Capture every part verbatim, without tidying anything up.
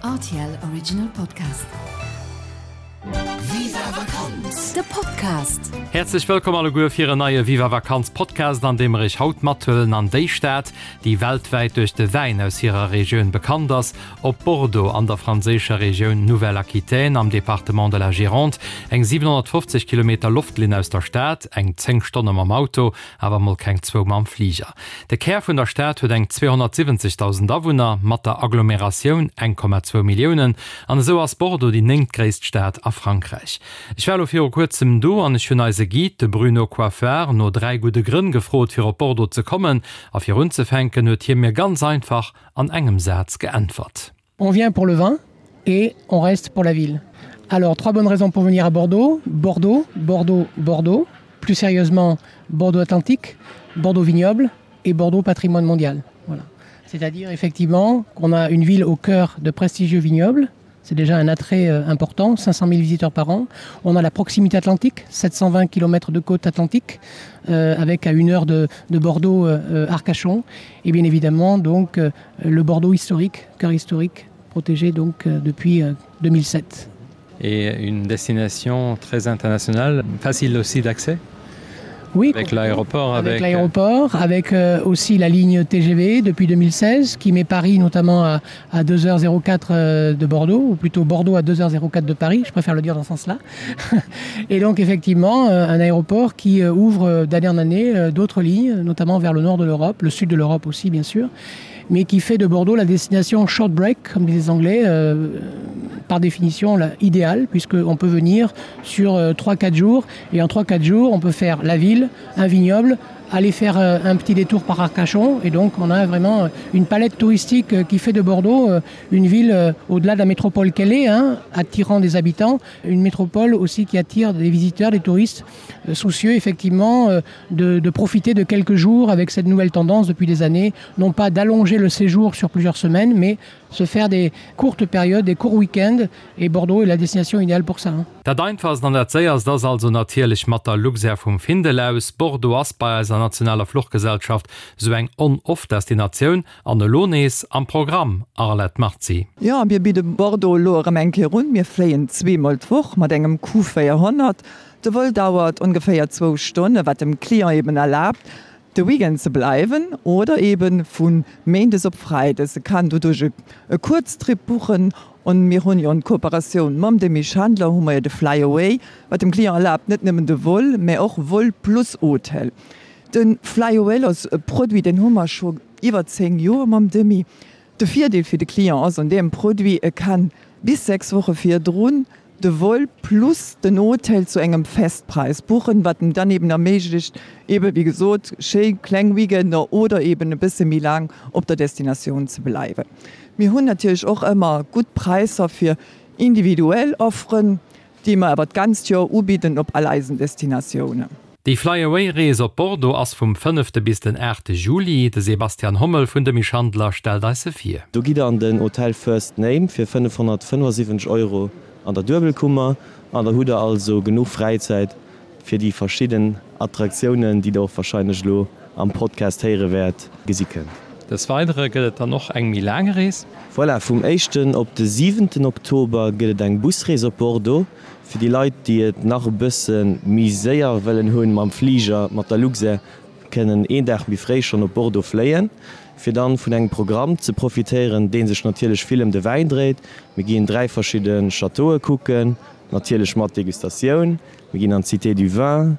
R T L Original Podcast. Viva Vakanz! De Podcast. Häerzlech wëllkomm alleguer fir en neie Viva Vakanz Podcast, an deem mer iech haut mathuelen an déi Stad, déi weltwäit duerch de Wäin aus hirer Regioun bekannt ass, op Bordeaux an der franséischer Regioun Nouvelle-Aquitaine am Département de la Gironde, eng siwenhonnertfofzeg Kilometer Loftlinn aus der Stad, eng zéng Stonne mam Auto, awer mol keng zwou mam Fliger. De Kär vun der Stad huet eng zweehonnertsiwwenzegdausend Awunner, mat der Agglomeratioun eng Komma zwou Milliounen, an esou ass Bordeaux déi néngtgréisst Stad a Frankräich. Ech war elo viru kuerzem do an ech hunn eise Guide, de Bruno Coiffard, no dräi gudde Grënn gefrot, fir op Bordeaux ze kommen. A fir unzefänken huet hie mir ganz einfach an engem Saz geäntwert. On vient pour le vin et on reste pour la ville. Alors, trois bonnes raisons pour venir à Bordeaux. Bordeaux, Bordeaux, Bordeaux. Plus sérieusement, Bordeaux Atlantique, Bordeaux Vignoble et Bordeaux Patrimoine Mondial. Voilà. C'est-à-dire effectivement qu'on a une ville au cœur de prestigieux vignobles. C'est déjà un attrait euh, important, cinq cent mille visiteurs par an. On a la proximité atlantique, sept cent vingt kilomètres de côte atlantique, euh, avec à une heure de, de Bordeaux euh, euh, Arcachon. Et bien évidemment, donc, euh, le Bordeaux historique, cœur historique, protégé donc, euh, depuis euh, deux mille sept. Et une destination très internationale, facile aussi d'accès? Oui, avec l'aéroport, avec, avec l'aéroport, avec euh, aussi la ligne T G V depuis deux mille seize qui met Paris notamment à, à deux heures zéro quatre euh, de Bordeaux, ou plutôt Bordeaux à deux heures zéro quatre de Paris, je préfère le dire dans ce sens-là. Et donc effectivement, euh, un aéroport qui euh, ouvre euh, d'année en année euh, d'autres lignes, notamment vers le nord de l'Europe, le sud de l'Europe aussi bien sûr, mais qui fait de Bordeaux la destination short break, comme disent les Anglais, euh, par définition la idéale, puisqu'on peut venir sur euh, trois quatre jours, et en trois quatre jours, on peut faire la ville, un vignoble, aller faire euh, un petit détour par Arcachon, et donc on a vraiment euh, une palette touristique euh, qui fait de Bordeaux euh, une ville euh, au-delà de la métropole qu'elle est, hein, attirant des habitants, une métropole aussi qui attire des visiteurs, des touristes euh, soucieux effectivement euh, de, de profiter de quelques jours avec cette nouvelle tendance depuis des années, non pas d'allonger le séjour sur plusieurs semaines, mais se faire des courtes périodes, des courts week-ends, et Bordeaux est la destination idéale pour ça. Hein. Dat einfachst an dat séierst ass also natierlech mat der Luxair vum Findel aus. Bordeaux ass bei eiser nationaler Fluchgesellschaft sou eng On-Off-Destinatioun an elo nees am Programm, Arlette Marzi. Jo, mir bidde Bordeaux elo erëm eng Kéier un. Mir fléien zweemol d'Woch mat engem Q véierhonnert. De Vol dauert ongeféier zwou Stonne, wat dem Client eben erlaabt, de Weekend ze bleiwen oder eben vu Méindes op Freides. E kann doduerch e Kuerztrip buchen an mir hunn jo an Kooperatioun mam Demy Schandler hu mer jo de Fly Away, wat dem Client erlaabt net nëmmen de Vol, mä och Vol plus Hotel. De Fly Away ass e Produit, deen hu mer scho iwwer zéng Joer mam Demy. De Virdeel fir de Client ass un deem Produit, e kann bis sechs Woche virdrun de Vol plus den Hotel zu engem Festpräis buchen, wat em dann eben erméiglecht, eben wéi gesot, schéi kleng Weekender oder eben e bësse méi laang op der Destinatioun ze bleiwen. Mir hunn natierlech och ëmmer gutt Präisser fir individuell Offeren, déi mer awer d'ganzt Joer ubidden op all eisen Destinatiounen. Déi Fly-Away-Rees op Bordeaux ass vum fënnefte bis den aachte Juli. De Sebastian Hommel vun Demy Schandler stellt eis se vir. Do gitt der an den Hotel First Name fir fënnefhonnertfënnefasiwwenzeg Euro an der Duebelkummer an da hutt der also genuch Fräizäit fir déi verschidden Attraktiounen, déi der och warscheinlech elo am Podcast héiere wäert, gesi kënnt. Des Weidere gëtt et dann och eng méi laang Rees. Voilà, vum éischten op de siwenten Oktober gëtt et eng Busrees op Bordeaux. Fir déi Leit, déi et nach e bësse méi séier wëllen hunn mam Fliger, mat der Luxair, kënnen een Dag méi fréi schonn op Bordeaux fléien, fir dann vun engem Programm ze profitéieren, dee sech natierlech vill ëm de Wäin dréit. Mir ginn dräi verschidde Châteaue kucken, natierlech mat Degustatioun. Mir ginn an d'Cité du Vin.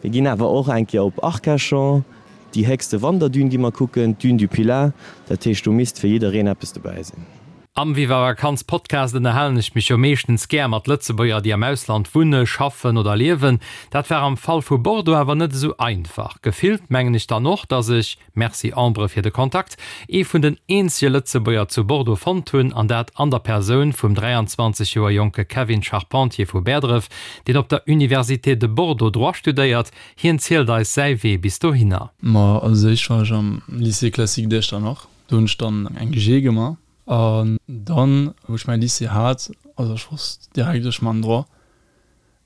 Mir ginn awer och eng Kéier op Arcachon, déi héchste Wanderdün gi mer kucken, d'Dune du Pilat. Dat heescht, do misst fir jiddereen eppes dobäi sinn. Am Viva Vakanz Podcast ënnerhalen ech mech jo meeschtens gär mat Lëtzebuerger, déi am Ausland wunne, schaffen oder liewen. Dat war am Fall vu Bordeaux awer net esou einfach. Gefillt mengen ech dann och, dass ech, Merci Ambre fir de Kontakt, ee vun den eenzege Lëtzebuerger zu Bordeaux fonnt hunn, an dat an der Persoun vum dräianzwanzeg Joer jonke Kevin Charpentier vu Bäerdref, deen op der Université de Bordeaux Droit studéiert. Hien zielt eis säi Wee bis dohinner. Ma als éischt war ech am Lycée classique d'Echternach. Do hunn ech dann eng G gemaach. An dann, wou ech mäi Lycée hat, also ech wosst direkt, ech man Droit,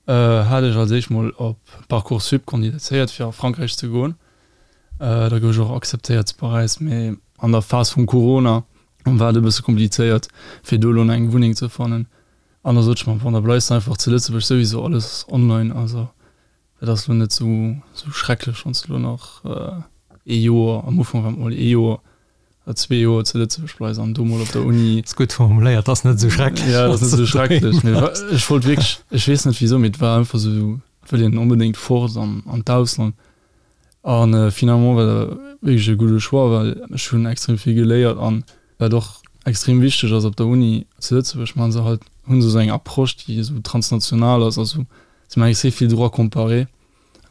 hat ech als éischt mol op Parcoursup kandidéiert fir a Frankräich ze goen. Da gouf ech och akzeptéiert zu Paräis, mee an der Phas vum Corona War et e bësse komplizéiert, fir do elo eng Wunneng ze fannen. An da sot ech mer, bon, da bleifs de einfach zu Lëtzebuerg, souwisou alles online. Also dat ass elo net esou schrecklech, wann s de elo nach ee Joer, am Ufank war et mol ee Joer oder zwee Joer zu Lëtzebuerg bleifs an do mol op der Uni. Ass gutt formuléiert, ass net esou schrecklech. Jo, dat ass net esou schrecklech, mee ech wollt wierklech, ech weess net wisou, mee et war einfach esou, et wëll een onbedéngt fort an an d'Ausland. An finalement war dat wierklech e gudde Choix, well ech hunn extrem vill geléiert an wat och extrem wichteg ass op der Uni zu Lëtzebuerg, maache se halt, hu se esou eng Approche, déi esou transnational ass, also se maachen extrem vill Droit comparé,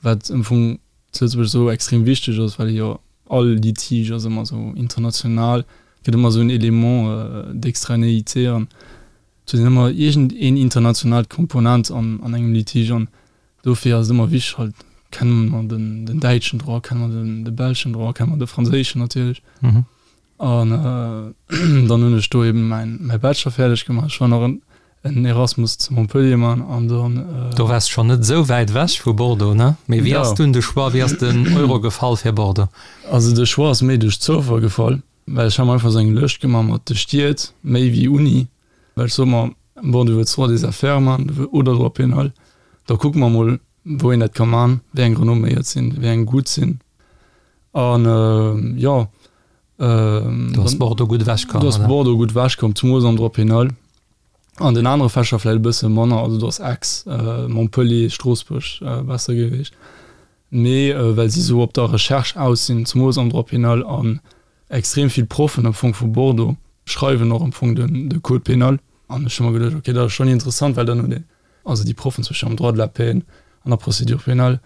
wat am Fong zu Lëtzebuerg esou extrem wichteg ass, well jo all Litige ass ëmmer esou international, gëtt ëmmer esou en Élément d'extranéité an et huet een ëmmer iergend een internationaalt Komponent an an engem Litige an dofir ass et ëmmer wichteg halt, kenne mer den den däitschen Droit, kenne mer den de belschen Droit, kenne mer de franséischen natierlech. An dann hunn ech do eben mäin mäi Bachelor fäerdeg gemaach. Ech war nach en en Erasmus zu Montpellier man an dann. Do waars schonn net esou wäit ewech vu Bordeaux, ne? Mee wéi ass dunn de Choix, wéi ass den Euro gefall fir Bordeaux? Also de Choix ass méi duerch Zoufall gefall, well ech hat mer einfach esou eng Lëscht gemaach mat de Stied, méi wéi Uni, well ech sot mer, bon, du wëlls Droit des affaires man oder Droit pénal, da kucke mer mol wou een dat ka man, wéi eng renomméiert sinn, wéi eng gutt sinn an jo. Do ass Bordeaux gutt ewech komm, oder? Do ass Bordeaux gutt ewech komm, zemools am Droit pénal. An den anere Fächer vläicht e bësse manner, also do ass Aix, Montpellier, Stroossbuerg besser gewiescht. Mee well si esou op der Recherche aus sinn, zemools am Droit pénal, an extrem vill Proffen am Fong vu Bordeaux schreiwen och am Fong den de Code pénal. An ech hu mer geduecht, okay, dat ass schonn interessant, well dann huet een, also déi Proffen zum Beispill am Droit de la peine, an der Procédure pénale,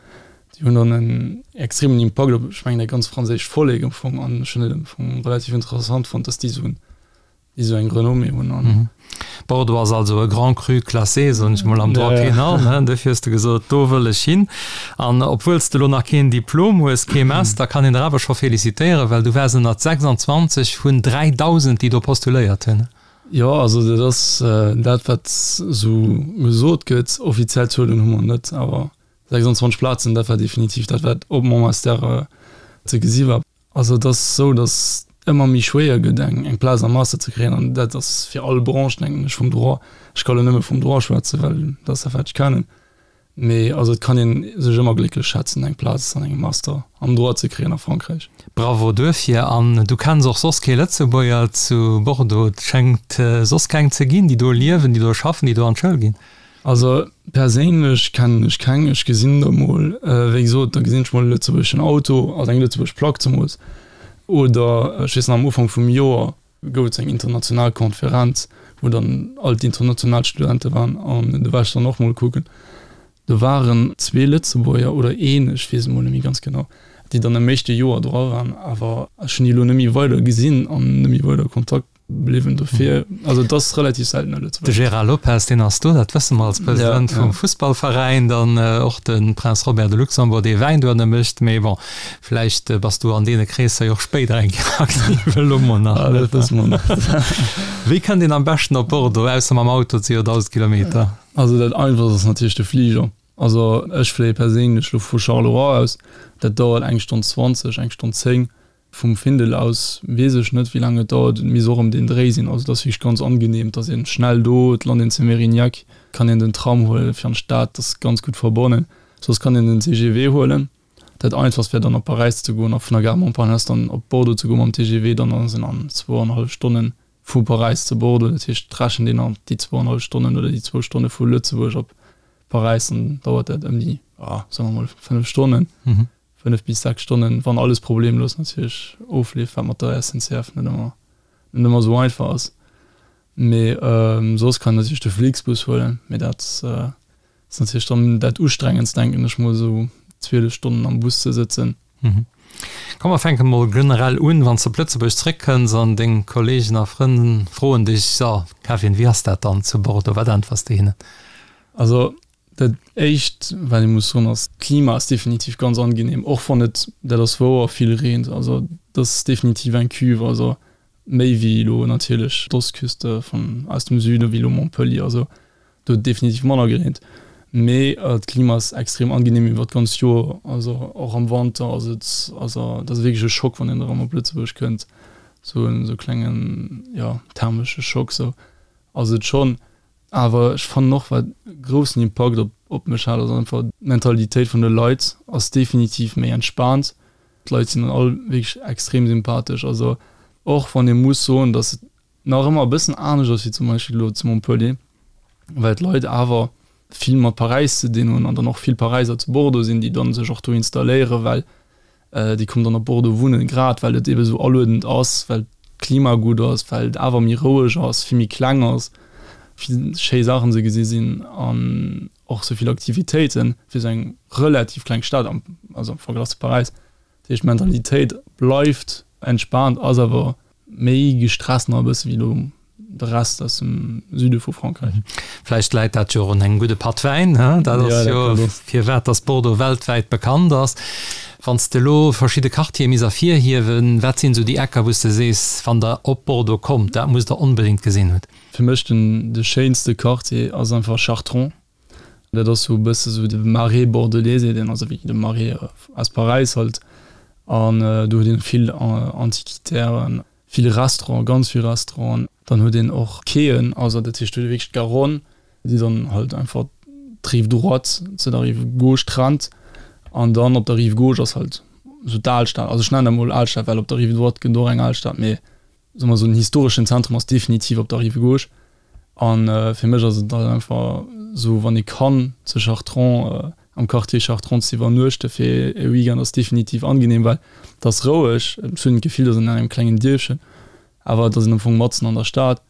déi hunn dann en extremen Impakt op, ech mengen, dat ganz franséischt Vollek am Fong. An ech hunn et am Fong relativ interessant fonnt, dass déi esou en, déi esou eng Renommée hunn. An. Bordeaux ass also e Grand Cru classé, soen ech mol, am Droit pénal, ne? Dofir hues de gesot, do wëll ech hin. An obwuel s de elo nach keen Diplom hues, kee Master, kann een der awer scho félicitéieren, well du waars ënnert sechsandzwanzeg vun dräidausend, déi do postuléiert hunn. Jo, also dat ass dat, wat esou gesot gëtt. Offiziell Zuelen hu mer net, awer sechsandzwanzeg Plazen, dat war definitiv dat, wat op mon Master ze gesi war. Also et ass esou, datt ëmmer méi schwéier gëtt, eng Plaz am Master ze kréien, an dat ass fir all Branche, denken ech, vum Droit. Ech ka lo nëmme vum Droit schwätzen, well dat ass dat, wat ech kennen. Mee also et kann een sech ëmmer glécklech schätzen eng Plaz an engem Master am Droit ze kréien a Frankräich. Bravo duerfir. An du kenns och soss kee Lëtzebuerger zu Bordeaux? Et schéngt soss keng ze ginn, déi do liewen, déi do schaffen, déi do an d'Schoul ginn. Also perséinlech kennen ech keng. Ech gesinn der mol, wéi gesot, da gesinn ech mol e lëtzebuergeschen Auto, also eng lëtzebuergesch Plack zemools. Oder ech weess nach am Ufank vum Joer gouf et eng international Konferenz, wou dann all d'international Studente waren an do war ech dann och mol kucken. Do waren zwee Lëtzebuerger oder een, ech weess et mol net méi ganz genau, déi dann am éischte Joer dra waren, awer ech hunn déi elo net méi weider gesinn an net méi weider Kontakt bliwwen dofir. Also et ass relativ selten e Lëtzebuerger. De Gérard Lopez, deen ass do, dat wësse mer, als President vum Fussballveräin, dann och de Prince Robert de Luxembourg, dee Wäin dohinner mécht. Mee bon, vläicht bass du an deene Kreesser jo och spéider eng Kéier aktiv, elo mol nach net. Dat wësse mer net. Wéi kënnt een am beschten op Bordeaux, ausser mam Auto, et si jo dausend Kilometer? Also dat einfachst ass natierlech de Fliger. Also ech fléie perséinlech lo vu Charleroi aus, dat dauert eng Stonn zwanzeg, eng Stonn zéng. Vum Findel aus weess ech net wéi laang et dauert, et misst och ëm deen Dréi sinn. Also et ass wierklech ganz angenehm, et ass een schnell do, et lant een zu Mérignac, kann een den Tram huelen fir an d'Stad, dat ass ganz gutt verbonnen. Soss kann een den T G V huelen. Dat einfachst wär dann op Paräis ze goen a vun der Gare Montparnasse dann op Bordeaux ze goen mam T G V, dann ass een an zwou an e hallef Stonnen vu Paräis zu Bordeaux, dat heescht et rechent een an déi zwou an hallef Stonnen oder déi zwou Stonne vu Lëtzebuerg op Paräis, dann dauert dat ëm déi, soe mer mol, fënnef Stonnen, fënnef bis sechs Stonnen, wann alles problemlos natierlech ofleeft, wat mat der S N C F net ëmmer, net ëmmer esou einfach ass. Mee soss kann een natierlech de Flixbus huelen, mee dat ass natierlech dann dat Ustrengendst, denken ech mol, esou zwielef Stonnen am Bus ze sëtzen. Komm mer fänke mol generell un, wann s de op Lëtzebuerg zréckkënns an deng Kolleegen a Frënn froen dech, So Kevin, wéi ass dat dann zu Bordeaux? Wat äntwers de hinnen? Also dat éischt wat ee muss soen ass, d'Klima ass definitiv ganz angenehm, och wann et, dat ass wouer, vill reent. Also et ass definitiv eng Cuve, also méi wéi elo natierlech d'Ostküste vun aus dem Süden, wéi elo Montpellier. Also do huet et definitiv manner gereent. Mee d'Klima ass extrem angenehm iwwer d'ganzt Joer, also och am Wanter ass et, also dat ass wierklech e Schock wann een erëm op Lëtzebuerg kënnt, Sou en sou klengen, jo, thermesche Schock sou ass et schonn. Awer ech fannen och, wat e groussen Impakt op op mech hat, ass einfach d'Mentalitéit vun de Leit ass definitiv méi entspaant. D'Leit sinn all wierklech extrem sympathesch. Also och wann ee muss soen, datt et nach ëmmer e bëssen anescht ass wéi zum Beispill elo zu Montpellier, well d'Leit awer vill mat Paräis ze dinn hunn an dann och vill Paräiser zu Bordeaux sinn, déi dann sech och do installéieren, well déi kommen dann op Bordeaux wunnen, grad well et ebe sou aluedend ass, well d'Klima gutt ass, well et awer méi roueg ass, vill méi kleng ass, vill schéi Saachen ze gesi sinn an och sou vill Aktivitéiten fir sou eng relativ kleng Stad, also am Verglach zu Paräis. Dat heescht, d'Mentalitéit bleift entspaant, ass awer méi gestresst nach e bësse wéi elo de Rest aus dem Süde vu Frankräich. Vläicht läit dat jo och un engem gudde Patt Wäin, he? Dat ass jo firwat dass Bordeaux weltwäit bekannt ass. Wann s de elo verschidde Quartiere misst ervirhiewen, wat sinn esou déi Ecker, wou s de sees, wann der op Bordeaux kommt, dat musst der onbedéngt gesinn hunn? Fir mech den de schéinste Quartier ass einfach Chartrons. Dat ass sou e bësse sou de Marais bordelais seet een, also wéi de Marais aus Paräis halt. An do huet een vill Antiquitären, vill Restauranten, ganz vill Restauranten. Dann huet een och Quaien, also dat heescht do huet ee wierklech d'Garonne, déi dann halt einfach d'Rive droite zu der Rive gauche trennt. An dann op der Rive gauche ass halt esou d'Alstad, also ech nennen dat mol Alstad, well op der Rive droite gëtt et och eng Alstad, mee soe mer esou den historeschen Zentrum ass definitiv op der Rive gauche. A fir mech ass et halt einfach esou, wann ee kann zu Chartrons, am Quartier Chartrons ze iwwernuechte fir e Weekend ass definitiv angenehm, well et ass roueg, et huet een d'Gefill, et ass an engem klengen Dierfchen, awer et ass een am Fong matzen an der Stad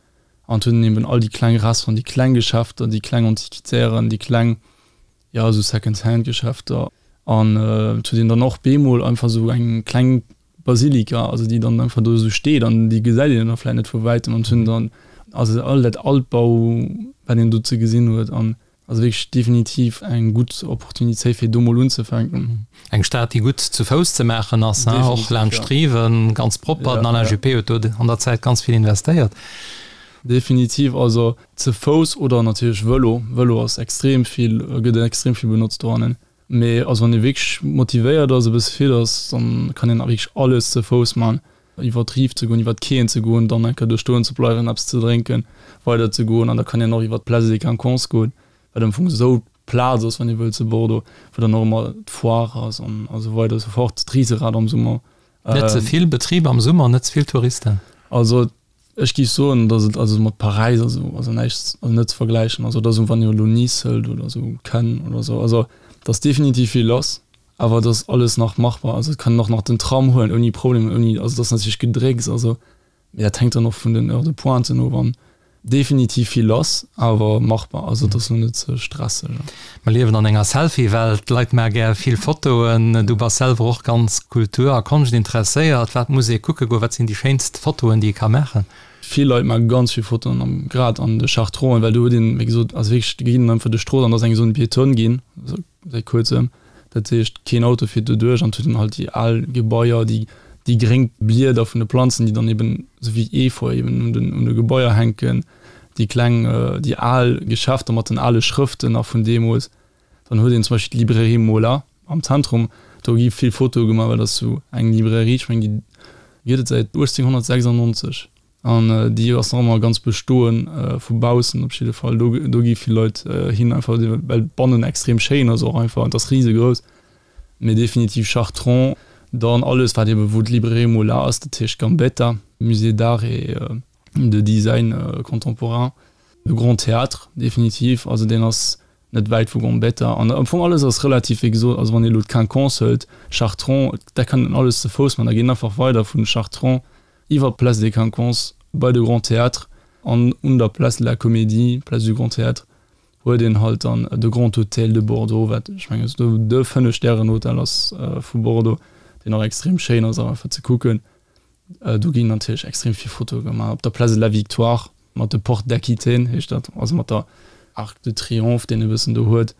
an et huet een eben all déi kleng Restauranten, déi kleng Geschäfter, déi kleng Antiquitären, déi kleng, jo, esou Second-Hand-Geschäfter an et huet een dann och bemol einfach esou eng kleng Basilika, also déi dann einfach do esou steet an déi gesäit een da vläicht net vu wäitem an et hunn dann also all dat Altbau, wat een do ze gesinn huet an also wierklech definitiv eng gutt Opportunitéit fir do mol unzefänken. Eng Stad déi gutt zu Fouss ze maachen ass, ne, och laanscht d'Riven, ganz propper. Den Alain Juppé huet do an der Zäit ganz vill investéiert. Definitiv, also ze Fouss oder natierlech Vëlo. Vëlo ass extrem vill, gëtt extrem vill benotzt dohannen. Mee also wann ee wierklech motivéiert ass, e bësse fit ass, dann kann een wierklech alles ze Fouss man. Iwwer d'Rive ze goen, iwwer d'Quaien ze goen, dann eng Kéier do stoen ze bleiwen, eppes ze drénken, weider ze goen an da kann een och iwwer d'Place des Quinconces goen, wat am Fong esou d'Plaz ass, wann ee wëllt zu Bordeaux, wou dann och ëmmer d'Foire ass an esou weider esou fort, d'Riserad am Summer. Net ze vill Betrib am Summer, net ze vill Touristen. Also ech géif soen, datt et also mat Paräis also also näischt, also net ze vergläichen. Also et ass esou, wann ee elo Nice hëlt oder esou, Cannes oder esou, also et ass definitiv vill lass, awer et ass alles nach machbar. Also et kann een och nach den Tram huelen ouni Problem, ouni, also et ass natierlech Gedrécks, also mee dat hänkt dann och vun den Heures de pointe of an definitiv vill lass, awer machbar. Also et ass elo net ze stresseg. Mer liewen an enger Selfie-Welt, d'Leit maache gär vill Fotoen. Du bass selwer och ganz Kultur a Konscht interesséiert. Wat muss ee kucke goen? Wat sinn déi schéinst Fotoen, déi ee ka maachen? Vill Leit maache ganz vill Fotoen am, grad an de Chartronen, well do huet een, wéi gesot, also wierklech, do geet een einfach duerch d'Strooss an da ass eng esou piétonne ginn, säit kuerzem. Dat heescht, keen Auto fiert do duerch an et huet een halt déi al Gebaier, déi, déi gréng Blieder vun de Planzen, déi dann eben esou wéi Efeu eben un den, un de Gebaier hänken, déi kleng, déi al Geschäfter mat den ale Schrëften nach vun deemools. Dann huet een zum Beispill d'Librairie Mola am Zentrum, do gi vill Fotoe gemaach, well dat ass esou eng Librairie, ech mengen, déi gëtt et säit uechtzénghonnertsechsandnonzeg an déi ass nach ëmmer ganz bestoen, vu baussen op jidde Fall. Do, do gi vill Leit hin, einfach well bannen extrem schéin ass och einfach an et ass risegrouss. Mee definitiv Chartrons, dann alles wat eben wou d'Librairie Mola ass, dat heescht Gambetta, Musée d'art et de design contemporain, de Grand Théâtre definitiv, also deen ass net wäit vu Gambetta an am Fong alles ass relativ wéi gesot, also wann ee elo d'Quinconce hëlt, Chartrons, dat kann een alles ze Fouss man, da geet een einfach weider vun Chartrons iwwer d'Place des Quinconces bei de Grand Théâtre an un der Place de la Comédie, Place du Grand Théâtre huet een halt dann de Grand Hôtel de Bordeaux, wat ech mengen esou de Fënnef-Stären-Hotel ass vu Bordeaux, deen och extrem schéin ass och einfach ze kucken. Do ginn natierlech extrem vill Fotoe gemaach. Op der Place de la Victoire mat de Porte d'Aquitaine heescht dat, also mat der Arc de Triomphe, deen e bëssen do huet.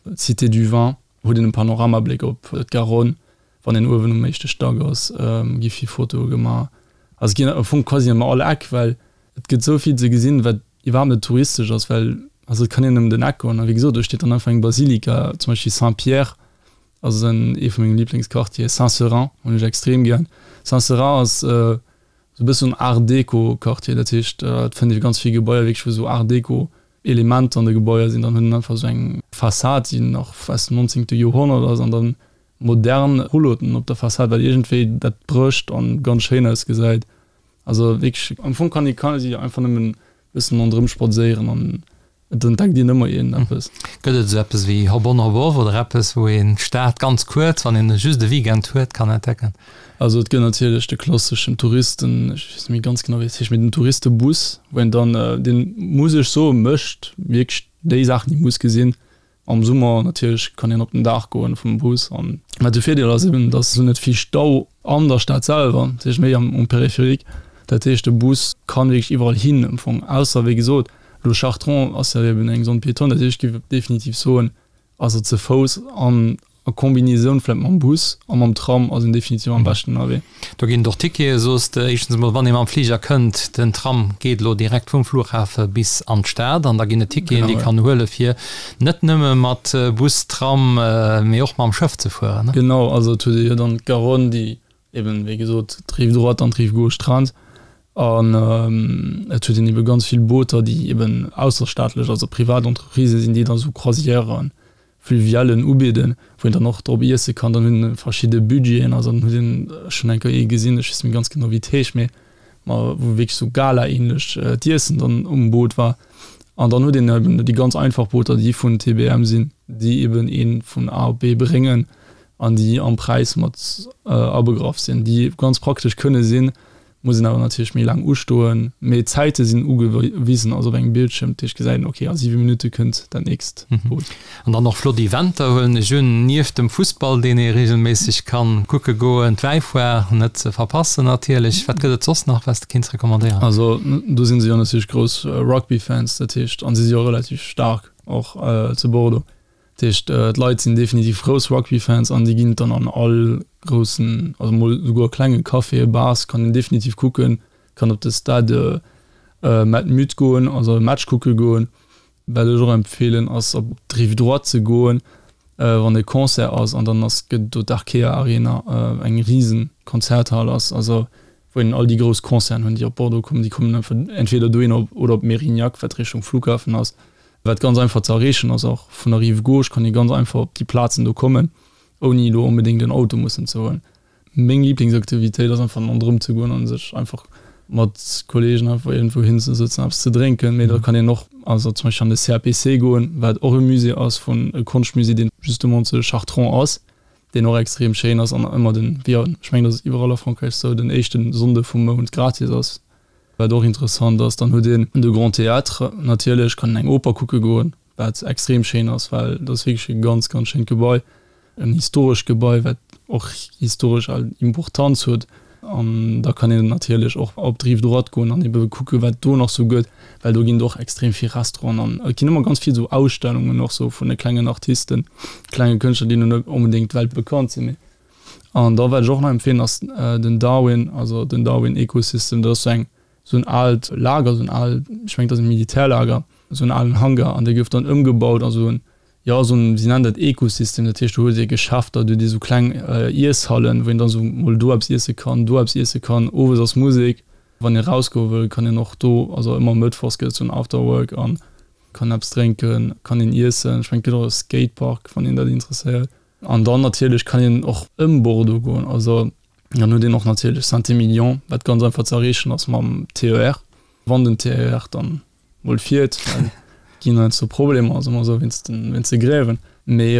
D'Cité du Vin huet een e Panoramabléck op d'Garonne. Wann een uewen um éischte Stack ass, gi vill Fotoe gemaach. Also et ginn am Fong quasi ëm all Eck, well et gëtt esou vill ze gesinn, wat iwwerhaapt net touristesch ass, well also et kann een ëm den Eck goen a wéi gesot, do steet dann einfach eng Basilika, zum Beispill Saint-Pierre ass en ee vu menge Liblingsquartieren, Saint-Seurin hunn ech extrem gären. Saint-Seurin ass Esou e bëssen Art Deco Quartier, dat heescht et fënnt ee ganz vill Gebaier wierklech wou esou Art Deco Elementer an de Gebaier sinn. Dann hunn en einfach esou eng Fassad déi nach aus dem nonzéngte Joerhonnert ass an dann modern Rulloten op der Fassad, wat iergendwéi dat brécht an ganz schéin ausgesäit. Also wierklech am Fong kann ee quasi einfach nëmmen e bëssen ronderëm spadséieren an Et entdeckt een ëmmer iergend eppes. Gëtt et esou eppes wéi Hop-on Hop-off oder eppes, wou een d'Stad ganz kuerz, wann een just e Weekend huet, kann entdecken? Also et gëtt natierlech de klasseschen Touristen, ech weess net méi ganz genau wéi et heescht, mee den Touristebus, wou een dann, deen, muss ech soen, mécht wierklech déi Saachen, déi ee muss gesinn. Am Summer natierlech kann een op den Daach goen vum Bus an wat de Virdeel ass eben, dass esou net vill Stau an der Stad selwer, dat heescht méi am um Périphérique. Dat heescht de Bus kann wierklech iwwerall hin am Fong, ausser wéi gesot elo Chartrons ass jo eben eng Zone piétonne, dat heescht ech géif definitiv soen, also ze Fouss an a Combinaison vläit mam Bus a mam Tram ass een definitiv am beschten ënnerwee. Do ginn et och Tickete, soos de. Éischtens emol, wann ee mam Fliger kënnt, den Tram geet elo direkt vum Flughafe bis an d'Stad an da ginn et Ticketen, déi kann huele fir net nëmme mat Bus, Tram, mee och mam Schëff ze fueren. Genau, also et huet ee jo dann d'Garonne, déi eben, wéi gesot, d'Rive droite an d'Rive gauche trennt an et huet een ebe ganz vill Booter, déi eben ausserstaatlech, also privat Entreprisë sinn, déi da sou Croisièren Fluvialen ubidden, wou een dann och drop iesse kann. Dann hunn verschidde Budgeten, also dann huet een, ech hunn eng Kéier ee gesinn, ech weess net méi ganz genau wéi et heescht, mee ma wou wierklech sou Gala-ähnlech d'Iessen dann um Boot war. An dann huet een eben déi ganz einfach Booter, déi vun T B M sinn, déi eben ee vun A op B bréngen an déi am Präis mat abegraff sinn, déi ganz praktesch kënne sinn. Muss een awer natierlech méi laang ustoen, mee d'Zäite sinn ugewisen, also op engem Bildschierm, dat heescht gesäit een, ok, a siwe Minutte kënnt dat nächst Boot. An dann och flott Eventer huelen ech un, nieft dem Fussball, deen ee reegelméisseg kann kucke goen, d'Wäifoire net ze verpassen natierlech. Wat gëtt et soss nach, wat s de kéints recommandéieren? Also do si se jo natierlech grouss Rugby-Fans, dat heescht, an si si jo relativ staark och zu Bordeaux. Dat heescht, d'Leit sinn definitiv grouss Rugby-Fans an déi ginn dann an all groussen, also mol souguer klenge Caféen, Bars kann een definitiv kucken, kann op de Stade Matmut goen, also e Match kucke goen. Wat ech och empfeelen ass op d'Rive Droite ze goen, wann e Concert ass an dann ass gëtt do d'Arkea Arena, eng risen Konzerthal ass, also wou een all déi grouss Concerten hunn déi op Bordeaux kommen, déi kommen einfach entweder dohin oder op Mérignac, wat Richtung Flughafen ass. Wat ganz einfach ze erreechen ass, och vun der Rive gauche kann ee ganz einfach op déi Plazen do kommen, ouni elo onbedéngt en Auto mussen ze huelen. Meng Liblingsaktivitéit ass einfach ronderëm ze goen a sech einfach mat Kolleegen einfach iergendwou hinzesëtzen, eppes ze drénken. Mee da kann een och also zum Beispill an de C A P C goen, wat och e Musée ass vun, e Konschtmusée, deen justement zu Chartrons ass, deen och extrem schéin ass an ëmmer den, wéi an, ech mengen dat ass iwwerall a Frankräich esou, den éischte Sonnde vum Mount gratis ass. Wat och interessant ass, dann huet een de Grand Théâtre natierlech, kann een eng Oper kucke goen, wat extrem schéin ass, well dat ass wierklech e ganz, ganz schéint Gebai, en historescht Gebai, wat och historesch al Importanz huet. An da kann een natierlech och op d'Rive droite goen an ebe kucke wat do nach sou gëtt, well do ginn et och extrem vill Restauranten an et ginn ëmmer ganz vill sou Ausstellungen och sou vun de klengen Artisten, klenge Kënschtler, déi lo net onbedéngt weltbekannt sinn, mee An da wat ech och nach empfehlen ass den Darwin, also den Darwin Ecosystem, dat ass sou eng sou en aalt Lager, sou en aalt, ech mengen et ass e Militärlager, sou en alen Hangar an dee gouf dann ëmgebaut a sou en, jo sou en, si nennen dat Ecosystem, dat heescht do huet ee Geschäfter, do huet ee sou kleng Iesshallen, wou een dann sou mol do eppes iesse kann, do eppes iesse kann, owes ass Musek, wann ee rausgoe wëll, kann een och do, also ëmmer mëttwochs gëtt et sou en Afterwork an kann eppes drénken, kann een iessen, ech mengen et gëtt och e Skatepark, wann een dat interesséiert. An dann natierlech kann een och ëm Bordeaux goen. Also dann huet een och natierlech Saint-Émilion, wat ganz einfach ze erreechen ass mam T E R, wann den T E R dann mol fiert, well et ginn heiansdo Problemer, soe mer esou, wéinst den, wéinst de Grèven. Mee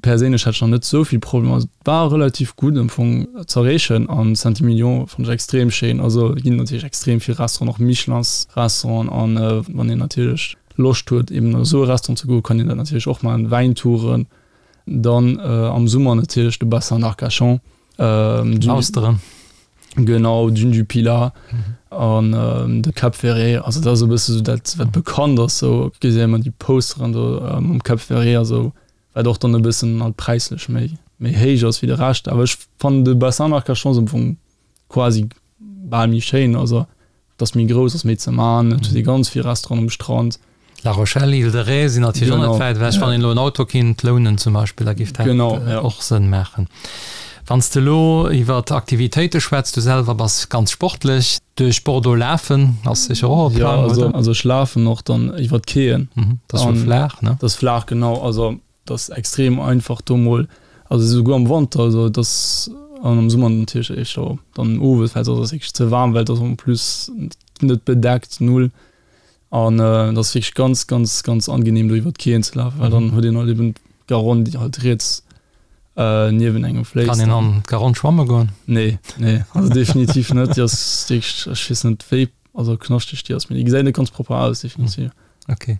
perséinlech hat ech nach net esou vill Problemer. Also et war relativ gutt am Fong z'erreechen an Saint-Émilion fannt ech extrem schéin. Also et ginn natierlech extrem vill Restauranten, och Michelins-Restauranten an wann een natierlech Loscht huet eben an esou e Restaurant ze goen, kann een dat natierlech och maachen, Wäintouren. Dann am Summer natierlech de Bassin d'Arcachon. Austeren. Genau, Dune du Pilat an de Cap Ferret. Also dat ass e bësse sou dat, wat bekannt ass. Sou gesi ëmmer déi Posteren do mam Cap Ferret a sou, wat och dann e bëssen halt präislech méi méi héich ass wéi de Rescht. Awer ech fannen de Bassin d'Arcachon ass am Fong quasi bal méi schéin. Also Et ass méi grouss, ass méi ze man, et huet ee ganz vill Restauranten um Strand. La Rochelle, Île de Ré sinn natierlech och net wäit ewech. Wann een elo en Auto kinnt lounen zum Beispill, da géif dat och Sënn maachen. Wann s de elo iwwer Aktivitéite schwätz, du selwer bass ganz sportlech, duerch Bordeaux lafen ass sécher och e Plang, oder? Jo, also ech lafen och dann iwwer d'Quaien. Dat ass jo flaach, ne? Dat ass flaach, genau. Also dat ass extrem einfach do mol, also esouguer am Wanter, also et ass, an am Summer natierlech éischter dann owes, well soss ass et wierklech ze waarm, well et ass en plus net bedeckt, null. An et ass wierklech ganz, ganz, ganz angenehm do iwwer d'Quaien ze lafen, well dann huet een halt eben d'Garonne, déi halt riets niewent engem fléisst. Kann een an d'Garonne schwamme goen? Nee, nee, also definitiv net. Déi ass wierklech, ech weess net wéi, also knaschteg déi ass, mee déi gesäit net ganz propper aus, definitiv. Ok.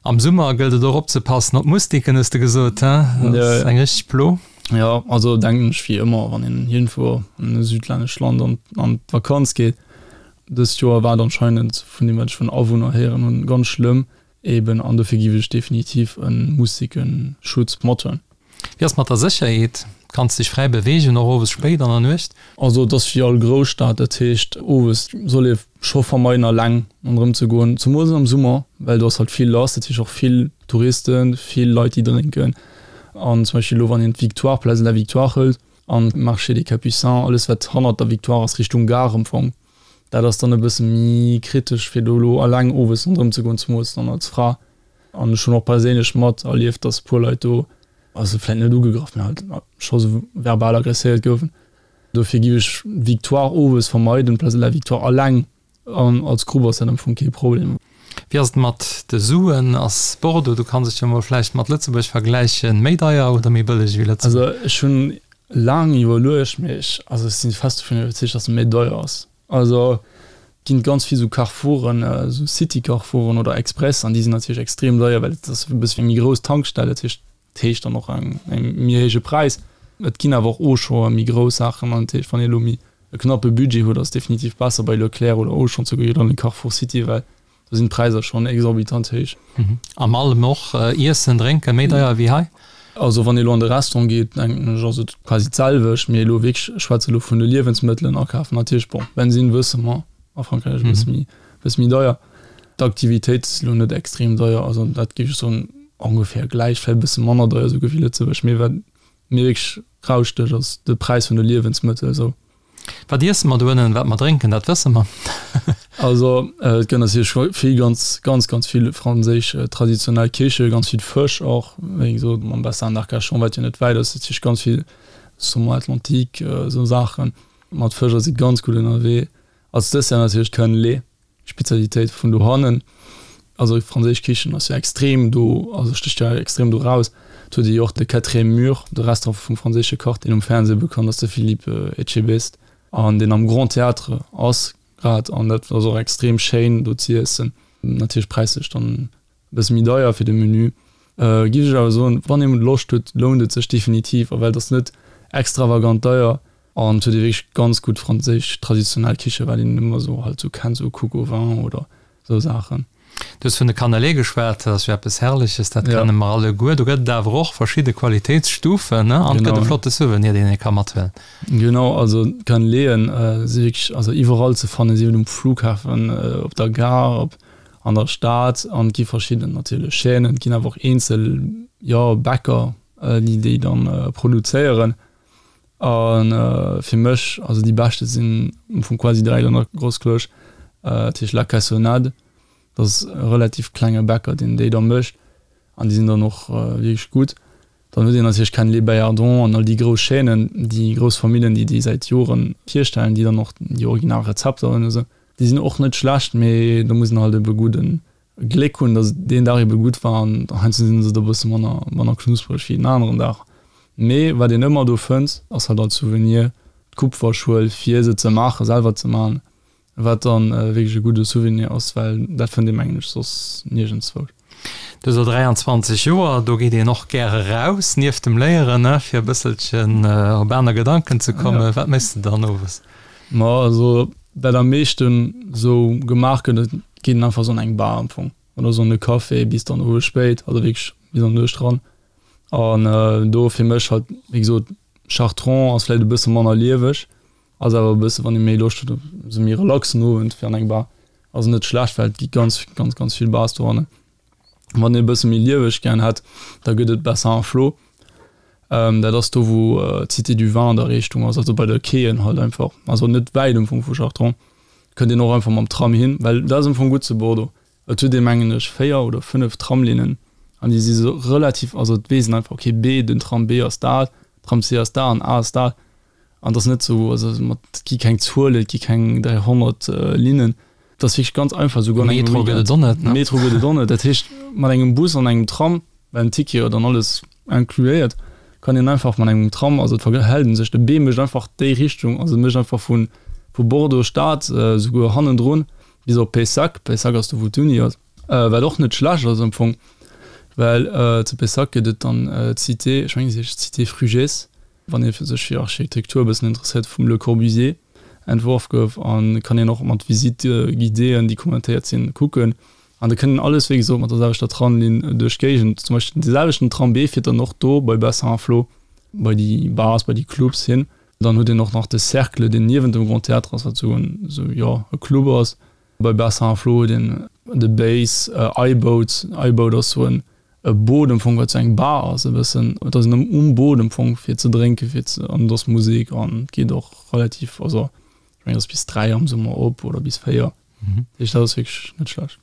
Am Summer gëllt et och opzepassen op d'Mustiken, hues de gesot, he? Dat ass eng richteg Plo. Jo, also denken ech wéi ëmmer, wann een iergendwou an e südlännescht Land an an d'Vakanz geet. Dëst Joer war et anscheinend, vun deem wat ech vun Awunner héieren hunn, ganz schlëmm eben an dofir giff ech definitiv e Mustikenschutz mathuelen. Wéi ass mat der Sécherheet? Kanns dech fräi beweegen, och owes spéit an der Nuecht? Also et ass wéi all Grousstad, dat heescht owes soll ee scho vermeiden alleng ronderëm ze goen, zemools am Summer, well do ass halt vill lass, dat heescht och vill Touristen, vill Leit déi drénken an zum Beispill elo wann een d'Victoire, Place de la Victoire hëlt an d'Marché des Capucins, alles wat hannert der Victoire ass Richtung Gare am Fong, dat ass dann e bësse méi kritesch fir do elo alleng owes ronderëm ze goen, zemools dann als Fra. An ech hunn och perséinlech mat erlieft, dass e puer Leit do, also vläit net ugegraff, mä halt scho sou verbal aggresséiert goufen. Dofir giff ech d'Victoire owes vermeiden, d'Place de la Victoire alleng an als Grupp ass dat am Fong kee Problem. Wéi ass et mat de Suen? Ass Bordeaux, du kanns et jo mol vläicht mat Lëtzebuerg vergläichen, méi deier oder méi bëlleg wéi Lëtzebuerg? Also ech hunn laang iwwerluecht, mee ech, also ech si fest dovun iwwerzeegt, dass et méi deier ass. Also et ginn ganz vill sou Carrefouren, sou City-Carrefouren oder Express an déi sinn natierlech extrem deier, well et ass e bësse wéi eng méi grouss Tankstell, dat heescht et heescht dann och eng méi héije Präis. Et ginn awer och Auchan, méi grouss Saachen an dat heescht wann ee elo méi e knappe Budget huet, ass et definitiv besser bei Leclerc oder Auchan ze goen wéi an de Carrefour City, well do sinn d'Präisser schonn exorbitant héich. Am allem och Iessen, Drénken méi deier wéi hei? Also wann ee elo an de Restaurant geet, denken ech, ass et quasi d'selwecht. Mee elo wierklech, ech schwätze elo vun de Liewensmëttelen akafen, natierlech, bon, Bensinn wësse mer, a Frankräich e bësse méi, bësse méi deier. D'Aktivitéit ass elo net extrem deier, also dat géif ech soen, ongeféier gläich, vläicht e bësse manner deier esouguer wéi Lëtzebuerg. Mee wat mir wierklech rausstécht, ass de Präis vun de Liewensmëttel esou. Wat iesse mer doënnen, wat mer drénken, dat wësse mer. Also et gëtt natierlech vill, ganz, ganz, ganz vill franséisch traditionell Kiche, ganz vill Fësch och, wéi gesot mam Bassin d'Arcachon, wat jo net wäit ass, natierlech ganz vill Saumon atlantique, esou Saachen. Mat Fësch ass ee ganz gutt ënnerwee. Als Dessert natierlech d'Cannelé. Spezialitéit vun dohannen. Also franséisch Kichen ass jo extrem do, also stécht jo extrem do raus. Et huet ee jo och de Quatrième Mur, de Restaurant vum franséische Kach, deen um Fernseh bekannt ass, de Philippe Etchebest, an deen am Grand Théâtre ass grad. An dat ass och extrem schéin do z'iessen. Natierlech präislech dann e bësse méi deier fir de Menü. Giff ech awer soen, wann ee Loscht huet, lount et sech definitiv, a well et ass net extravagant deier. An et huet ee wierklech ganz gutt franséisch traditionell Kiche, wat een ëmmer esou halt esou kennt, esou Coq au vin oder esou Saachen. Du hues vun de Cannelés geschwat, dat ass jo eppes Herrleches, dat kenne mer alleguer. Do gëtt et awer och verschidde Qualitéitsstufen, ne? An et gëtt e flotte Souvenir, deen ee ka mathuelen. Genau, also d'Canneléen si wierklech also iwwerall ze fannen, sief et um Flughafen, op der Gare, op an der Stad. An et gi verschidden natierlech Chaînen, et ginn awer och eenzel, jo, Bäcker, déi déi dann produzéieren. A fir mech, also déi beschte sinn am Fong quasi direkt an der Grossklosch, dat heescht La Cassonade. Dat ass e relativ klenge Bäcker, deen déi da mécht an déi sinn dann och wierklech gutt. Dann huet een natierlech Ken Les Baillardons an all déi grouss Chaînen, déi grouss Famillen, déi déi säit Joren hierstellen, déi dann och déi original Rezepter hunn a sou. Déi sinn och net schlecht, mee do muss een halt ebe gudden Gléck hunn, datt deen Dag ebe gutt war an heiansdo sinn se da e bësse manner, manner knuspereg wéi en aneren Dag. Mee wat een ëmmer do fënnt, ass halt als Souvenir d'Kupferschuel fir se ze maachen, selwer ze maachen, wat dann wierklech e gudde Souvenir ass, well dat fënnt ee mengen ech soss niergendswou. Du hues elo dräianzwanzeg Joer, do geet een och gäre raus nieft dem Léieren, ne, fir e bësselchen op aner Gedanken ze kommen. Wat méchs de dann owes? Ma also wat am meeschten sou gemaach gëtt, et geet een einfach sou an eng Bar am Fong oder sou an e Café bis dann owes spéit, also wierklech bis an d'Nuecht ran. An do fir mech halt, wéi gesot, Chartron ass vläicht e bësse manner lieweg, ass awer e bësse wann ee méi Loscht huet op esou méi relaxen Owend fir an eng Bar, ass net schlecht, well et gi ganz, ganz, ganz vill Bars dohannen. Wann ee e bësse méi lieweg gären hätt, da gëtt et Bassin à Flot. Dat ass do wou d'Cité du Vin an der Richtung ass, also bei de Quaien halt einfach, also net wäit am Fong vu Chartrons. Kënnt een och einfach mam Tram hin, well dat ass am Fong gutt zu Bordeaux, et huet ee mengen ech véier oder fënnef Tramlinnen an déi si sou relativ, also et weess een einfach, okay B, den Tram B ass dat, Tram C ass dat an A ass dat an et ass net sou, also mat, et gi keng Zuelen, et gi keng dräihonnert Linnen, et ass wierklech ganz einfach, souguer an engem Metro gëtt et och net, ne? Metro gëtt et och net, dat heescht mat engem Bus an engem Tram, well den Ticket jo dann alles incluéiert, kann een einfach mat engem Tram, also et verhält een sech, de B mécht einfach déi Richtung, also mécht einfach vu vu Bordeaux Stad souguer hannendrun bis op Pessac, Pessac ass do wou d'Uni ass, wat och net schlecht ass am Fong, well zu Pessac gëtt et dann d'Cité, ech mengen se heescht Cité Frugès, wann ee sech fir Architektur e bëssen interesséiert, vum Le Corbusier entworf gouf, a kann een och mat Visites guidéeën, déi kommentéiert sinn, kucken. An da kënnt een alles, wéi gesot, mat der selwechter Tramlinn duerch d'Géigend. Zum Beispill dee selwechten Tram B fiert dann och do bei Bessin-Flots, bei déi Bars, bei déi Clubs hin. Dann huet een och nach de Cercle, deen niewent dem Grand Théâtre ass, wat esou en, esou, jo, e Club ass. Bei Bessin-Flots huet een de Base, I-Boat. I-Boat ass esou en e Boot am Fong, wat esou eng Bar ass e bëssen. Et ass een um Boot am Fong fir ze drénken, fir ze, an et ass Musek an et geet och relativ, also ech mengen et ass bis dräi am Summer op oder bis véier. Dat heescht, dat ass wierklech net schlecht.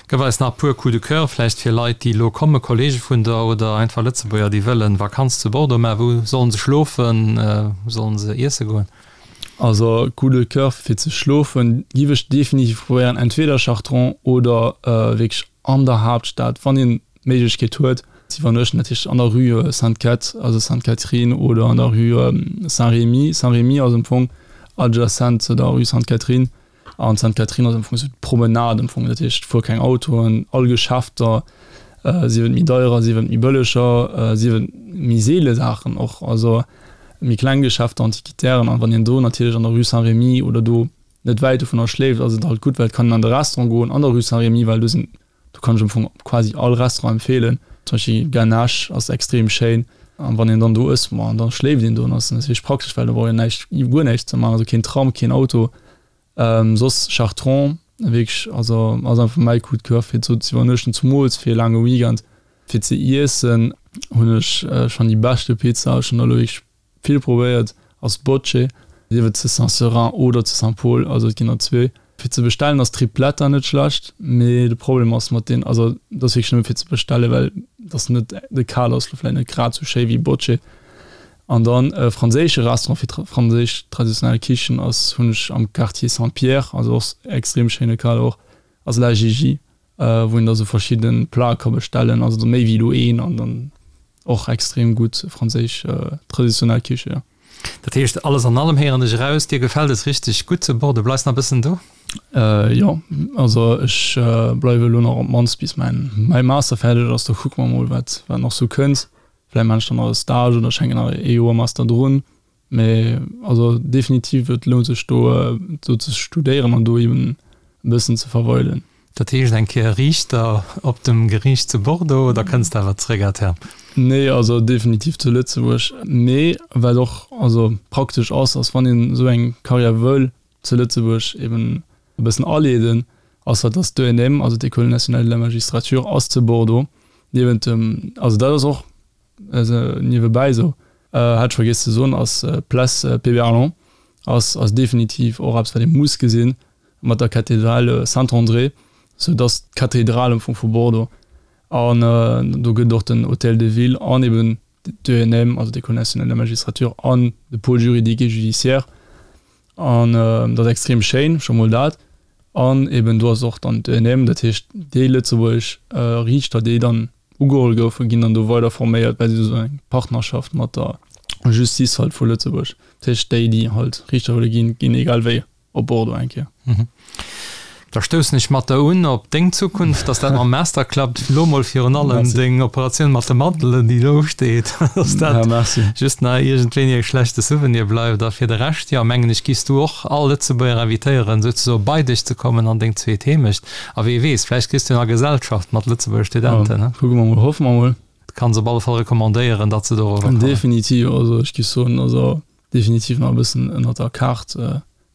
Gëff eis nach e puer Coups de cœur vläicht fir Leit, déi elo kommen, Kollege vun der oder einfach Lëtzebuerger, déi wëllen Vakanz zu Bordeaux maachen. Wou sollen se schlofen? Wou sollen se iesse goen? Also Coup de cœur fir ze schlofen giff ech definitiv probéieren, entweder Chartrons oder wierklech an der Haaptstad, wann een d'Méiglechkeet huet ze iwwernuechten, dat heescht an der Rue Sainte-Cath, also Sainte-Catherine oder an der Rue Saint-Rémy. Saint-Rémy ass am Fong adjacent zu der Rue Sainte-Catherine. An d'Sainte-Catherine ass am Fong esou d'Promenade am Fong, dat heescht, et fuere keng Autoen, all Geschäfter, sief et méi deierer, sief et méi bëlleger, sief et méi seele Saachen och, also méi kleng Geschäfter, Antiquitären. An wann een do natierlech an der Rue Saint-Rémy oder do net wäit dovunner schléift, ass et halt gutt, well et kann een an de Restaurant goen an der Rue Saint-Rémy, well do sinn, do kann ech am Fong quasi all Restaurant empfeelen. Zum Beispill Ganache ass extrem schéin. An wann een dann do ësst, ma dann schléift een do an ass natierlech praktesch, well do brauch een näischt, guer näischt ze maachen, also keen Tram, keen Auto. Soss Chartrons, wierklech, also ass einfach mäi Coup de coeur fir do ze iwwernuechten, zumools fir e laange Weekend. Fir ze iessen hunn ech schonn déi beschte Pizza, ech hunn der elo wierklech vill probéiert, ass Bocce, sief et zu Saint-Seurin oder zu Saint-Paul, also et ginn der zwee. Fir ze bestellen ass Tripletta net schlecht, mee de Problem ass mat deen, also et ass wierklech nëmme fir ze bestellen, well et ass net, de Kader ass lo vläicht net grad sou schéi wéi Bocce. An dann e franséische Restaurant fir franséisch traditionell Kichen ass hunn ech am Quartier Saint-Pierre, also och extrem schéine Kader och, ass La Gigi, wou een da sou verschidde Plate ka bestellen, also méi wéi elo een an dann och extrem gutt franséisch traditionell Kiche, jo. Dat heescht, alles an allem héieren ech eraus, dir gefält es richteg gutt zu Bordeaux. Bleifs nach e bëssen do? Jo, also ech bleiwe elo nach op d'mannst bis mäin mäi Master fäerdeg ass. Da kucke mer mol, wat wat nach sou kënnt. Vläicht maan ech dann nach e Stage oder ech hänken nach ee Joer Master drun. Mee also definitiv, et lount sech do do ze studéieren an do eben e bëssen ze verweilen. Dat heescht eng Kéier Riichter op dem Geriicht zu Bordeaux oder kënns de awer zréck à terme? Nee, also definitiv zu Lëtzebuerg. Mee wat och also praktesch ass, ass wann een esou eng Karriär wëll zu Lëtzebuerg eben e bëssen aleeden, ass dat, dass d'ENM, also d'École nationale de la magistrature, ass zu Bordeaux niewent dem, also dat ass och niewebäi esou, hat ech vergiess ze soen, ass d'Place Péberlan ass ass definitiv och eppes wat ee muss gesinn, mat der Cathédrale Saint-André, sou dass d'Kathedral am Fong vu Bordeaux. An do gëtt et och den Hôtel de Ville an eben d'ENM, also d'École nationale de la magistrature an de Pôle juridique et judiciaire. An dat ass extrem schéin, scho mol dat. An eben do ass och dann d'ENM, dat heescht déi lëtzebuergesch Riichter, déi dann ugeholl goufen, ginn dann do weider forméiert, well si hu sou eng Partnerschaft mat der Justice halt vu Lëtzebuerg. Dat heescht déi, déi halt Riichter wëlle ginn, ginn egal wéi op Bordeaux eng Kéier. Da stoussen ech mat der un op deng Zukunft, dass dat mam Master klappt. Lo mol virun allem deng Operatioun mat de Mandelen, déi elo usteet, dass dat just nach iergendwéini e schlechte Souvenir bleift. A fir de Rescht, jo, mengen ech, giffs du och all Lëtzebuerger invitéieren, souzesoe bei dech ze kommen an deng zweet Heemecht. A wee weess, vläicht kriss du jo nach Gesellschaft mat Lëtzebuerger Studenten, ne? Kucke mer mol, hoffe mer mol. Kanns op alle Fall recommandéieren, datt se dorower kommen. Definitiv, also ech giff soen, also definitiv nach e bëssen ënnert der Kaart.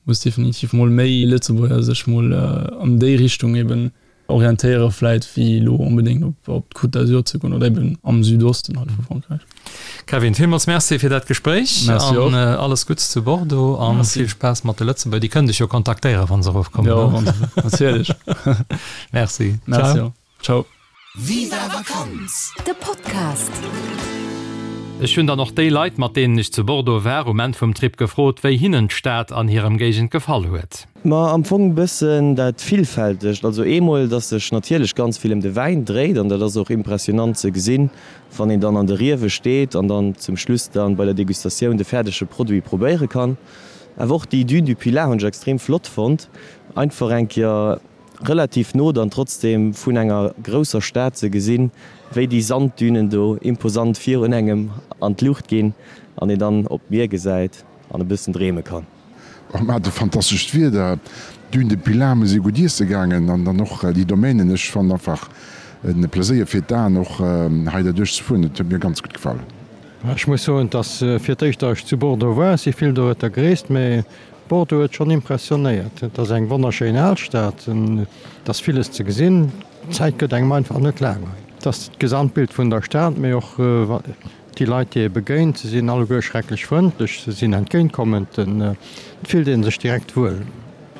Muss definitiv mol méi Lëtzebuerger sech mol an déi Richtung eben orientéiere vläit wéi elo onbedéngt op op d'Côte d'Azur ze goen oder eben am Südosten halt vu Frankräich. Kevin, villmools Merci fir dat Gespréich Merci och. an alles Gutts zu Bordeaux an Merci. vill Spaass mat de Lëtzebuerger. Déi kënnen dech jo kontaktéieren, wa se erofkommen, Jo, ne? wann se, natierlech. Merci. Merci Ciao. och. Ciao. Viva Vakanz! De Podcast. Ech hunn dann och déi Leit, mat deenen ech zu Bordeaux war, um Enn vum Trip gefrot, wéi hinnen d'Stad an hirem Géigend gefall huet. Ma am Fong bëssen dat Villfältegt. Also eemol, dass sech natierlech ganz vill ëm de Wäin dréit an dat ass och impressionant ze gesinn, wann een dann an de Riewe steet an dann zum Schluss dann bei der Degustatioun de fäerdege Produit probéiere kann. Awer och déi Dune du Pilat hunn ech extrem flott fonnt, einfach eng Kéier relativ no dann trotzdem vun enger grousser Stad ze gesinn, wéi déi Sanddünen do imposant virun engem an d'Luucht ginn an een dann op d'Mier gesäit an e bëssen dreeme kann. Mer hate fantastescht Wieder, d'Dune de Pilat, mer si gutt iesse gaangen an dann och déi Domainen. Ech fannen einfach en Pleséier fir d'Aen och hei derduerch ze fueren. Et huet mir ganz gutt gefall. Ech muss soen, dass fir d'éischt, datt ech zu Bordeaux war, si vill dorueter gereest, mä Bordeaux huet schonn impressionéiert. Et ass eng wonnerschéin Alstad, et ass villes ze gesinn, d'Zäit gëtt engem einfach net laang hei. Et ass d'Gesamtbild vun der Stad, mee och déi Leit, déi ee begéint, se sinn alleguer schrecklech frëndlech, se sinn entgéintkommend, et fillt ee sech direkt wuel.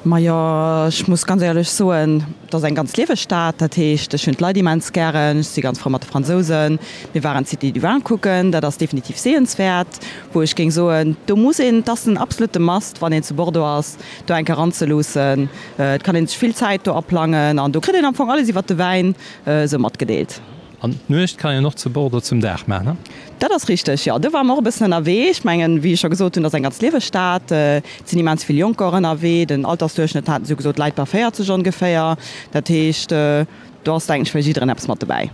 Majo, ech muss ganz éierlech soen, et ass eng ganz lieweg Stad. Dat heescht, ech hunn d'Leit immens gären, ech si ganz frou mat de Fransousen. Mir waren d'Cité du Vin kucken, dat ass definitiv sehenswäert, wou ech géing soen, do muss een, et ass en absolute Must, wann een zu Bordeaux ass, do eng Kéier eranzeluussen. Et kann een sech vill Zäit do aplangen an do kritt een am Fong alles iwwert de Wäin esou matgedeelt. An d'Nuecht kann een och zu Bordeaux zum Dag maachen, ne? Dat ass richteg, jo. Do ware mer och e bëssen ënnerwee. Ech mengen, wéi ech scho gesot hunn, dat ass eng ganz lieweg Stad. Et sinn immens vill Jonker och ënnerwee. Den Altersduerchschnëtt, haten se jo gesot, läit bei véierzeg ongeféier. Dat heescht, do ass, denken ech, fir jiddereen eppes mat dobäi.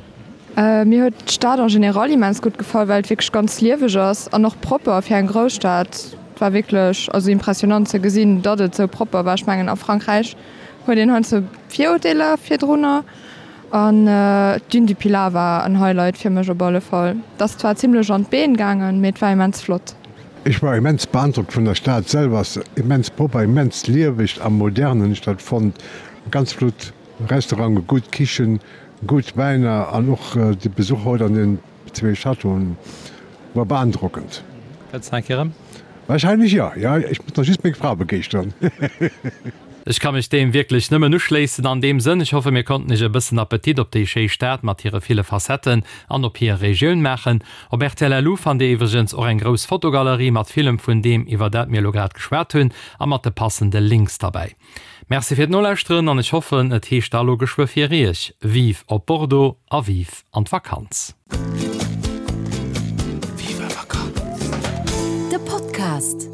Mir huet d'Stad en général immens gutt gefall, well et wierklech ganz lieweg ass an och propper fir eng Grousstad. Et war wierklech, also impressionant ze gesinn, datt et sou propper war. Ech mengen, a Frankräich huet een heiansdo Virurteeler virdrunner. An d'Dune du Pilat war en Highlight fir mech op alle Fall. Et ass zwar zimlech an d'Been gaangen, mee et war immens flott. Ech war immens beandrockt vun der Stad selwer, ass immens propper, immens lieweg a modern hunn ech dat fonnt. Ganz flott Restauranten, gutt Kichen, gutt Wäiner an och de Besuch haut an den zwee Châteauen war beandrockend. Kënns nach eng Kéier erëm? Wahrscheinlech jo, jo. Ech muss nach just meng Fra begeeschteren. Ech ka mech deem wierklech nëmmen uschléissen an deem Sënn. Ech hoffe mir konnten iech e bëssen Appetit op déi schéi Stad mat hire ville Facetten an op hir Regioun maachen. Op rtl Lu fannt dir iwwregens och eng grouss Fotogalerie mat villem vun deem iwwer dat mir elo grad geschwat hunn a mat de passende Links derbäi. Merci fir d'Nolauschteren an ech hoffen et heescht da lo geschwë fir iech, Vive op Bordeaux a vive an d'Vakanz! Vive Vakanz! De Podcast.